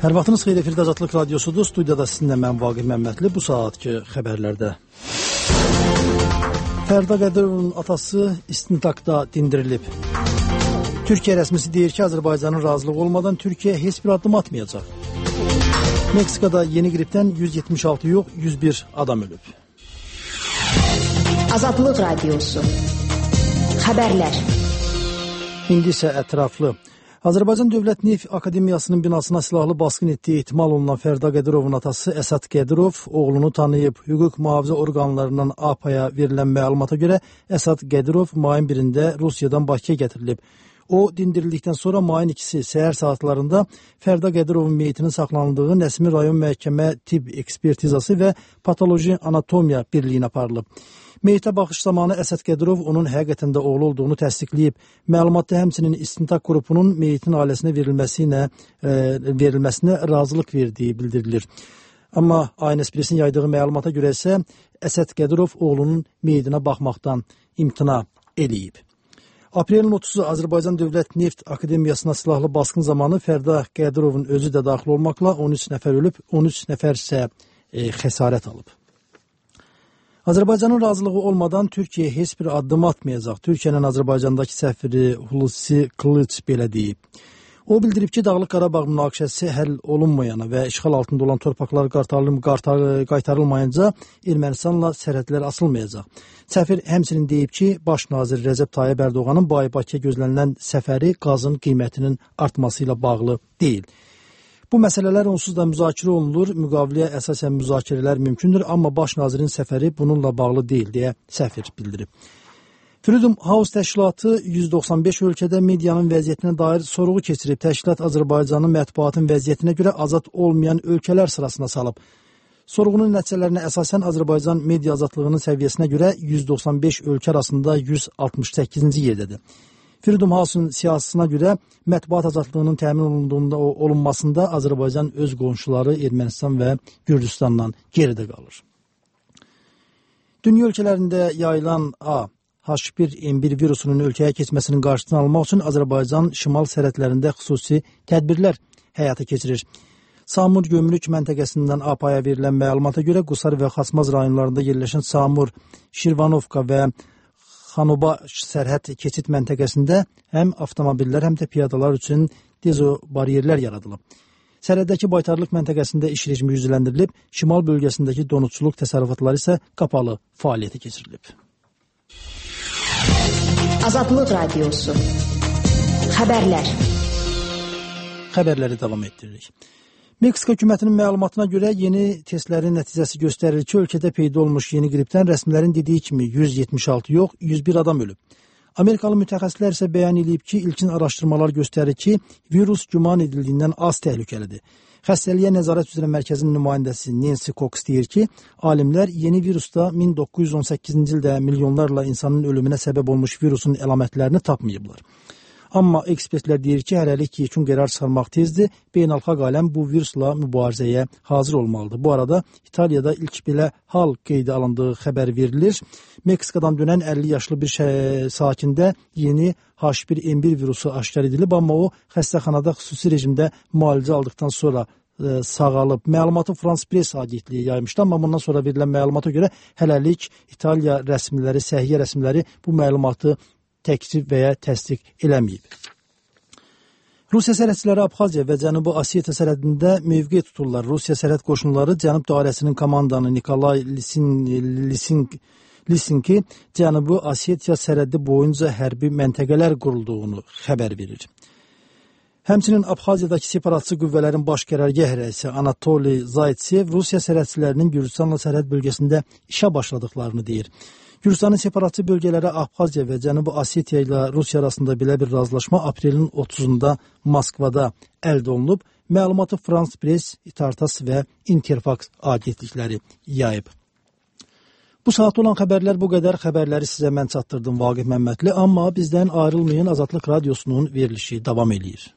Hər vaxtınız xeyir, efirdə Azadlıq Radiosudur. Studiyada sizinlə mən Vaqif Məmmədli. Bu saatki xəbərlərdə. Fərda Qədirovun atası istintaqda dindirilib. Türkiyə rəsmisi deyir ki, Azərbaycanın razılığı olmadan Türkiyə heç bir addım atmayacaq. Meksikada yeni qripdən 176 yox, 101 adam ölüb. Azadlıq Radiosu. Xəbərlər. İndi isə ətraflı. Azərbaycan Dövlət Neft Akademiyasının binasına silahlı basqın etdiyi ehtimal olunan Fərda Qədirovun atası Əsad Qədirov oğlunu tanıyıb. Hüquq mühafizə orqanlarından APA-ya verilən məlumata görə Əsad Qədirov mayın 1-də Rusiyadan Bakıya gətirilib. O, dindirildikdən sonra mayın 2-si səhər saatlarında Fərda Qədirovun meyitinin saxlanıldığı Nəsimi rayon məhkəmə tibb ekspertizası və patoloji anatomiya birliyinə aparılıb. Meyitə baxış zamanı Əsad Qədirov onun həqiqətən də oğlu olduğunu təsdiqləyib. Məlumatda həmçinin istintaq qrupunun meyitin ailəsinə verilməsinə razılıq verdiyi bildirilir. Amma Ayın Espresinin yaydığı məlumata görə isə Əsad Qədirov oğlunun meyitinə baxmaqdan imtina eləyib. Aprelin 30-u Azərbaycan Dövlət Neft Akademiyasına silahlı basqın zamanı Fərda Qədirovun özü də daxil olmaqla 13 nəfər ölüb, 13 nəfər isə xəsarət alıb. Azərbaycanın razılığı olmadan Türkiyə heç bir addım atmayacaq. Türkiyənin Azərbaycandakı səfiri Hulusi Qılıç belə deyib. O bildirib ki, Dağlıq Qarabağ münaqişəsi həll olunmayana və işğal altında olan torpaqlar qaytarılmayınca Ermənistanla sərhədlər asılmayacaq. Səfir həmçinin deyib ki, Baş nazir Rəcəb Tayyib Ərdoğanın Bakıya gözlənilən səfəri qazın qiymətinin artması ilə bağlı deyil. Bu məsələlər onsuz da müzakirə olunur, müqaviləyə əsasən müzakirələr mümkündür, amma baş nazirin səfəri bununla bağlı deyil, deyə səfir bildirib. Freedom House təşkilatı 195 ölkədə medianın vəziyyətinə dair sorğu keçirib. Təşkilat Azərbaycanın mətbuatın vəziyyətinə görə azad olmayan ölkələr sırasına salıb. Sorğunun nəticələrinə əsasən Azərbaycan media azadlığının səviyyəsinə görə 195 ölkə arasında 168-ci yerdədir. Freedom House-un siyasətine görə mətbuat azadlığının təmin olunmasında Azərbaycan öz qonşuları Ermənistan və Gürcüstanla geridə qalır. Dünya ölkələrində yayılan H1N1 virusunun ölkəyə keçməsinin qarşısını almaq üçün Azərbaycan şimal sərhədlərində xüsusi tədbirlər həyata keçirir. Samur Gömrük məntəqəsindən APA-ya verilən məlumata görə Qusar və Xasmaz rayonlarında yerləşən Samur, Şirvanovka və Xanoba sərhəd keçid məntəqəsində həm avtomobillər, həm də piyadalar üçün dezobariyerlər yaradılıb. Sərhəddəki baytarlıq məntəqəsində iş rejimi yüzləndirilib, şimal bölgəsindəki donutçuluq təsərrüfatları isə qapalı fəaliyyətə keçirilib. Azadlıq Radiosu. Xəbərlər. Xəbərləri davam etdiririk. Meksika hökumətinin məlumatına görə yeni testlərin nəticəsi göstərir ki, ölkədə peyda olmuş yeni qripdən rəsmilərin dediyi kimi 176 yox, 101 adam ölüb. Amerikalı mütəxəssislər isə bəyan edib ki, ilkin araşdırmalar göstərir ki, virus güman edildiyindən az təhlükəlidir. Xəstəliyə nəzarət üzrə mərkəzin nümayəndəsi Nancy Cox deyir ki, alimlər yeni virusda 1918-ci ildə milyonlarla insanın ölümünə səbəb olmuş virusun əlamətlərini tapmayıblar. Amma ekspertlər deyir ki, hələlik yekun qərar çıxarmaq tezdir, beynəlxalq aləm bu virusla mübarizəyə hazır olmalıdır. Bu arada İtaliyada ilk belə hal qeydə alındığı xəbər verilir. Meksikadan dönən 50 yaşlı bir sakində yeni H1N1 virusu aşkar edilib, amma o xəstəxanada xüsusi rejimdə müalicə aldıqdan sonra sağalıb. Məlumatı France Press agentliyi yaymışdı, amma bundan sonra verilən məlumata görə hələlik İtaliya rəsmiləri, səhiyyə rəsmiləri bu məlumatı təksib və ya təsdiq eləməyib. Rusiya sərhədçiləri Abxaziya və Cənubi Osetiya sərhədində mövqe tuturlar. Rusiya sərhəd qoşunları Cənub dairəsinin komandanı Nikolay Lisinki Cənubi Osetiya sərhədi boyunca hərbi məntəqələr qurulduğunu xəbər verir. Həmçinin Abxaziyadakı separatçı qüvvələrin baş qərargah rəisi Anatoliy Zaytsev Rusiya sərhədçilərinin Gürcüstanla sərhəd bölgəsində işə başladıqlarını deyir. Gürcüstanın separatçı bölgələri Abxaziya və Cənubi Osetiya ilə Rusiya arasında belə bir razılaşma aprelin 30-da Moskvada əldə olunub. Məlumatı France Press, Tartas və Interfax agentlikləri yayıb. Bu saat olan xəbərlər bu qədər. Xəbərləri sizə mən çatdırdım Vaqif Məmmədli, amma bizdən ayrılmayın, Azadlıq Radiosunun verilişi davam edir.